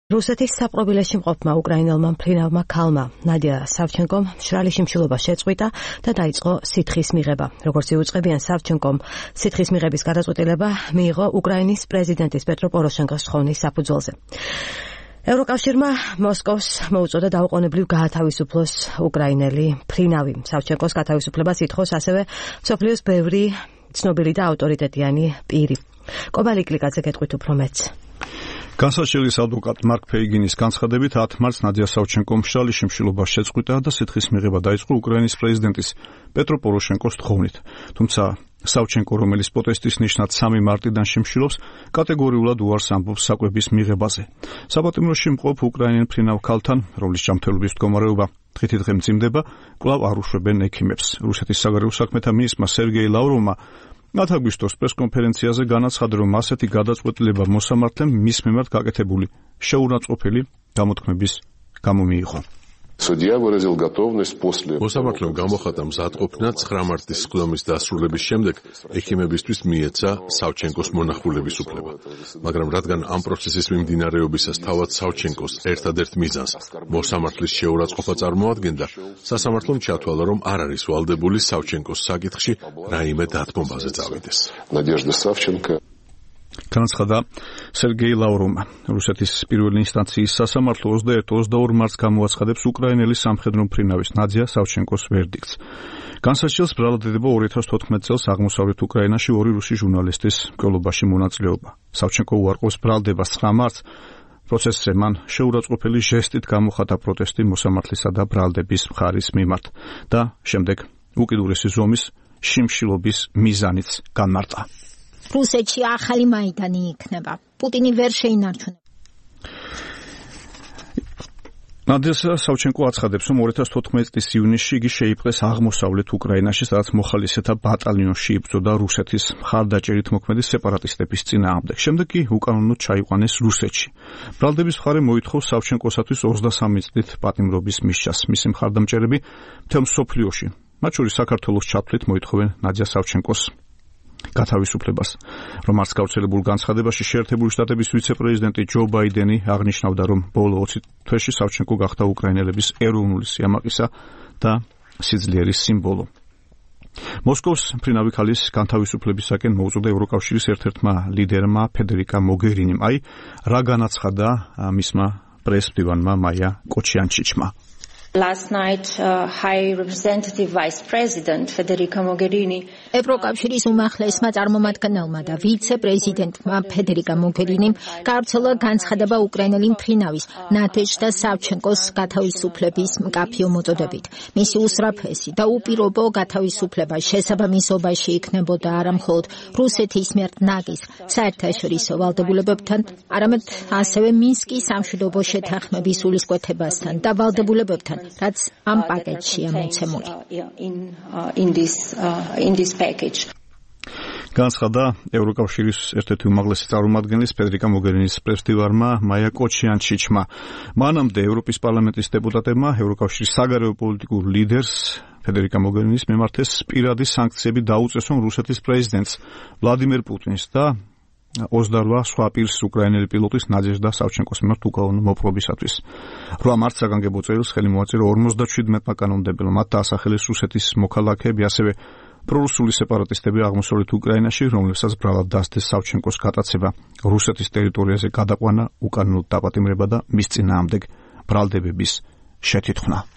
რუსეთის საპყრობილეში მყოფმა უკრაინელმა მფრინავმა ქალმა ნადია სავჩენკომ მშრალი შიმშილობა შეწყვიტა და დაიწყო სითხის მიღება. როგორც იუწყებიან, სავჩენკომ სითხის მიღების გადაწყვეტილება მიიღო უკრაინის პრეზიდენტის პეტრო პოროშენკოს თხოვნის საფუძველზე. ევროკავშირმა მოსკოვს მოუწოდა დაუყოვნებლივ გაათავისუფლოს უკრაინელი მფრინავი. სავჩენკოს გათავისუფლებას ითხოვს ასევე მსოფლიოს ბევრი ცნობილი და ავტორიტეტიანი პირი. კობალი კლიკაძე გეტყვით უფრო მეტს. განსაცდელის ადვოკატ მარკ ფეიგინის განცხადებით 10 მარტს ნადია სავჩენკომ მშრალი შიმშილობა შეწყვიტა და სითხის მიღება დაიწყო უკრაინის პრეზიდენტის პეტრო პოროშენკოს თხოვნით. თუმცა სავჩენკო, რომელიც პროტესტის ნიშნად 3 მარტიდან შიმშილობს, კატეგორიულად უარს ამბობს საკვების მიღებაზე. საპატიმროში მყოფ უკრაინელ მფრინავ ქალთან, რომლის ჯანმრთელობის მდგომარეობა დღითიდღე მძიმდება, კვლავ არ უშვებენ ექიმებს. რუსეთის საგარეო საქმეთა მინისტრმა სერგეი ლავროვმა 10 აგვისტოს პრესკონფერენციაზე განაცხადა, რომ ასეთი გადაწყვეტილება მოსამართლემ მის მიმართ გაკეთებული შეურაცხყოფელი გამოთქმების გამო მიიღო. მოსამართლემ გამოხატა მზადყოფნა 9 მარტის სხდომის დასრულების შემდეგ ექიმებისთვის მიეცა სავჩენკოს მონახულების უფლება. მაგრამ რადგან ამ პროცესის მიმდინარეობისას თავად სავჩენკოს ერთადერთ მიზანს მოსამართლის შეურაცხყოფა წარმოადგენდა, სასამართლომ ჩათვალა, რომ არ არის ვალდებული სავჩენკოს საკითხში რაიმე დათმობაზე წავიდეს. განაცხადა სერგეი ლავროვმა. რუსეთის პირველი ინსტანციის სასამართლო 21-22 მარტს გამოაცხადებს უკრაინელი სამხედრო მფრინავის ნადია სავჩენკოს ვერდიქტს. განსაცდელს ბრალდება 2014 წელს აღმოსავლეთ უკრაინაში 2 რუსი ჟურნალისტის მკვლელობაში მონაწილეობა. სავჩენკო უარყოფს ბრალდებას 9 მარტს. პროცესზე მან შეურაცხყოფელი ჟესტით გამოხატა პროტესტი მოსამართლისა და ბრალდების მხარის მიმართ და შემდეგ უკიდურესი ზომის შიმშილობის მიზანიც განმარტა. რუსეთში ახალი მაიდანი იქნება. პუტინი ვერ შეინარჩუნებს. ნადია სავჩენკო აცხადებს, რომ 2014 წლის ივნისში იგი შეიპყრეს აღმოსავლეთ უკრაინაში, სადაც მოხალისეთა ბატალიონში იბრძოდა რუსეთის მხარდაჭერით მოქმედი სეპარატისტების წინააღმდეგ. შემდეგ კი უკანონოდ ჩაიყვანეს რუსეთში. ბრალდების მხარე მოითხოვს სავჩენკოსათვის 23 წლით პატიმრობის მისჯას. მისი მხარდამჭერები მთელ მსოფლიოში, მათ შორის საქართველოს ჩათვლით მოითხოვენ ნადია სავჩენკოს გათავისუფლებას. რომ არც გავრცელებულ განცხადებაში შეერთებული შტატების ვიცე-პრეზიდენტი ჯო ბაიდენი აღნიშნავდა, რომ ბოლო 20 თვეში სავჩენკო გახდა უკრაინელების ეროვნული სიამაყისა და სიძლიერის სიმბოლო. მოსკოვს მფრინავი ქალის განთავისუფლებისაკენ მოუწოდა ევროკავშირის ერთ-ერთმა ლიდერმა ფედერიკა მოგერინიმ. აი, რა განაცხადა მისმა პრესმდივანმა მაია კოჩიანჩიჩმა. Last night, High Representative Vice President Federica Mogherini ევროკავშირის უმაღლესმა წარმომადგენელმა და ვიცე-პრეზიდენტმა ფედერიკა მოგერინიმ გავრცელა განცხადება უკრაინელი მფრინავის ნადეჟდა სავჩენკოს გათავისუფლების მკაფიო მოწოდებით. მისი უსწრაფესი და უპირობო გათავისუფლება შესაბამისობაში იქნებოდა არა მხოლოდ რუსეთის მიერ ნაგის საერთაშორისო ვალდებულებებთან, არამედ ასევე მინსკის სამშვიდობო შეთანხმების სულისკვეთებასთან და ვალდებულებებთან, რაც ამ პაკეტშია მოცემული. განაცხადა ევროკავშირის ერთ-ერთი უმაღლესი წარმომადგენლის ფედერიკა მოგერინის პრესმდივარმა მაია კოჩიანჩიჩმა. მანამდე ევროპის პარლამენტის დეპუტატებმა ევროკავშირის საგარეო პოლიტიკურ ლიდერს ფედერიკა მოგერინის მიმართეს პირადი სანქციები დაუწესონ რუსეთის პრეზიდენტს ვლადიმერ პუტინს და 28 სხვა პირს უკრაინელი პილოტის ნადეჟდა სავჩენკოს მიმართ უკანონო მოპყრობისათვის. 8 მარტს საგანგებო წერილს ხელი მოაწერა 57-მა კანონმდებელმა, მათ დაასახელეს რუსეთის მოქალაქეები, ასევე პრორუსული სეპარატისტები აღმოსავლეთ უკრაინაში, რომლებსაც ბრალად დასდეს სავჩენკოს გატაცება, რუსეთის ტერიტორიაზე გადაყვანა, უკანონოდ დაპატიმრება და მის წინააღმდეგ ბრალდებების შეთითხოვნა.